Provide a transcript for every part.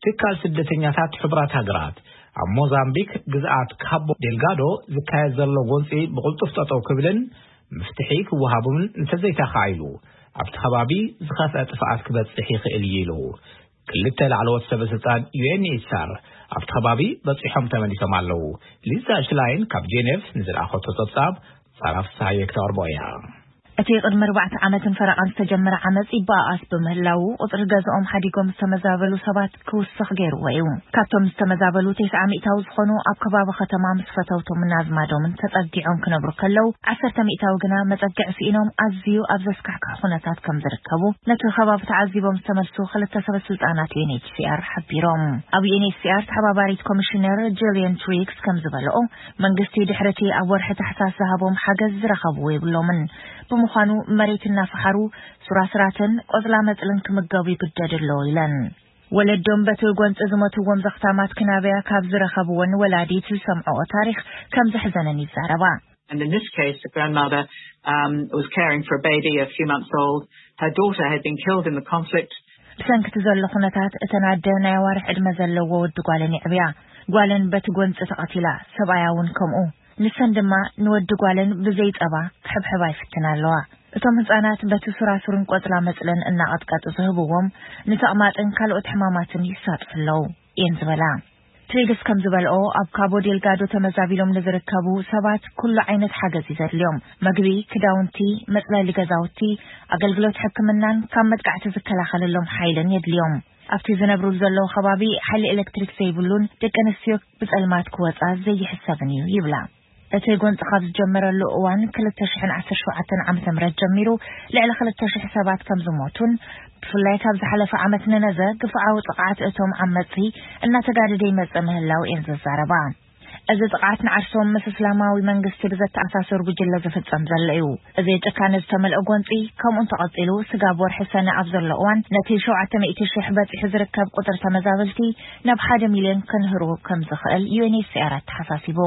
ትካል ስደተኛታት ሕቡራት ሃገራት ኣብ ሞዛምቢክ ግዝኣት ካቦ ዴልጋዶ ዝካየድ ዘሎ ጎንፂ ብቕልጡፍ ጠጠው ክብልን መፍትሒ ክወሃቡን እንተዘይተኻኢሉ ኣብቲ ከባቢ ዝኸፍአ ጥፍኣት ክበፅሕ ይኽእል እዩ ኢሉ። ክልተ ላዕለዎት ሰበ ስልጣን ዩ ኤን ኤች ሲ ኣር ኣብቲ ከባቢ በፂሖም ተመሊሶም ኣለዉ። ሊዛ ሽላይን ካብ ጄኔቭ ንዝለኣኸቶ ጸብጻብ ሳራ ፍስሃየ ክተቕርቦ እያ። እቲ ቅድሚ ኣርባዕተ ዓመትን ፈረቓን ዝተጀመረ ዓመጽ ይበኣኣስ ብምህላዉ፣ ቁጽሪ ገዝኦም ሓዲጎም ዝተመዛበሉ ሰባት ክውስኽ ገይርዎ እዩ። ካብቶም ዝተመዛበሉ፣ ተስዓ ሚእታዊ ዝኾኑ ኣብ ከባቢ ከተማ ምስ ፈተውቶምን ኣዝማዶምን ተጸጊዖም ክነብሩ ከለዉ፣ ዓሰርተ ሚእታዊ ግና መጸግዒ ስኢኖም ኣዝዩ ኣብ ዘስካሕክሕ ኩነታት ከም ዝርከቡ፣ ነቲ ከባቢ ተዓዚቦም ዝተመልሱ ክልተ ሰበ ስልጣናት ዩ ኤን ኤች ሲ ኣር ሓቢሮም። ኣብ ዩ ኤን ኤች ሲ ኣር ተሓባባሪት ኮሚሽነር ጁልየን ትሪግስ ከም ዝበልኦ፣ መንግስቲ ድሕሪ እቲ ኣብ ወርሒ ታሕሳስ ዝሃቦም ሓገዝ ዝረኸብዎ የብሎምን። ብምዃኑ መሬት እናፈሓሩ ሱራስራትን ቆጽላ መጽልን ክምገቡ ይግደድ ኣሎ ኢለን። ወለዶም በቲ ጎንፂ ዝሞትዎም ዘኽታማት ክናበያ ካብ ዝረኸብዎን ወላዲት ዝሰምዕኦ ታሪኽ ከም ዘሕዘነን ይዛረባ። And in this case, the grandmother um, was caring for a baby a few months old. Her daughter had been killed in the conflict. ብሰንክቲ ዘሎ ኩነታት እተን ኣደ ናይ ኣዋርሕ ዕድመ ዘለዎ ወዲ ጓለን ይዕብያ። ጓለን በቲ ጎንፂ ተቐቲላ፣ ሰብኣያ እውን ከምኡ። ንሰን ድማ ንወዲ ጓለን ብዘይ ጸባ ክሕብሕባ ይፍትና ኣለዋ። እቶም ህጻናት በቲ ሱራሱርን ቆጽላ መጽለን እናቐጥቀጡ ዝህብዎም ንተቕማጥን ካልኦት ሕማማትን ይሳጥሑ ኣለዉ እየን ዝበላ። ትሪግስ ከም ዝበልኦ፣ ኣብ ካቦ ዴልጋዶ ተመዛቢሎም ንዝርከቡ ሰባት ኩሉ ዓይነት ሓገዝ እዩ ዘድልዮም። መግቢ፣ ክዳውንቲ፣ መጽለሊ ገዛውቲ፣ ኣገልግሎት ሕክምናን ካብ መጥቃዕቲ ዝከላኸለሎም ሓይልን የድልዮም። ኣብቲ ዝነብሩሉ ዘለዉ ከባቢ ሓይሊ ኤሌክትሪክ ዘይብሉን ደቂ ኣንስትዮ ብጸልማት ክወጻ ዘይሕሰብን እዩ ይብላ። እቲ ጎንፂ ካብ ዝጀመረሉ እዋን ክልተ ሽሕን ዓሰርተ ሸውዓተን ዓመተ ምህረት ጀሚሩ ልዕሊ ክልተ ሽሕ ሰባት ከም ዝሞቱን ብፍላይ ካብ ዝሓለፈ ዓመት ንነዘ ግፍዓዊ ጥቕዓት እቶም ዓመፅቲ እናተጋደደ ይመፅእ ምህላው እየን ዝዛረባ። እዚ ጥቕዓት ንዓርሶም ምስ እስላማዊ መንግስቲ ብዘተኣሳሰሩ ጉጅለ ዝፍጸም ዘሎ እዩ። እዚ ጭካነ ዝተመልኦ ጎንፂ ከምኡ እንተቐፂሉ ስጋብ ወርሒ ሰነ ኣብ ዘሎ እዋን ነቲ ሸውዓተ ሚእቲ ሽሕ በፂሑ ዝርከብ ቁፅሪ ተመዛበልቲ ናብ ሓደ ሚልዮን ክንህሩ ከም ዝኽእል ዩ ኤን ኤች ሲ ኣር ኣተሓሳሲቡ።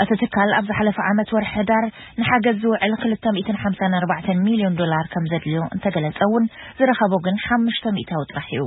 እቲ ትካል ኣብ ዝሓለፈ ዓመት ወርሒ ሕዳር ንሓገዝ ዝውዕል ክልተ ሚእትን ሓምሳን ኣርባዕተን ሚልዮን ዶላር ከም ዘድልዮ እንተገለጸ እውን ዝረኸቦ ግን ሓሙሽተ ሚእታዊ ጥራሕ እዩ።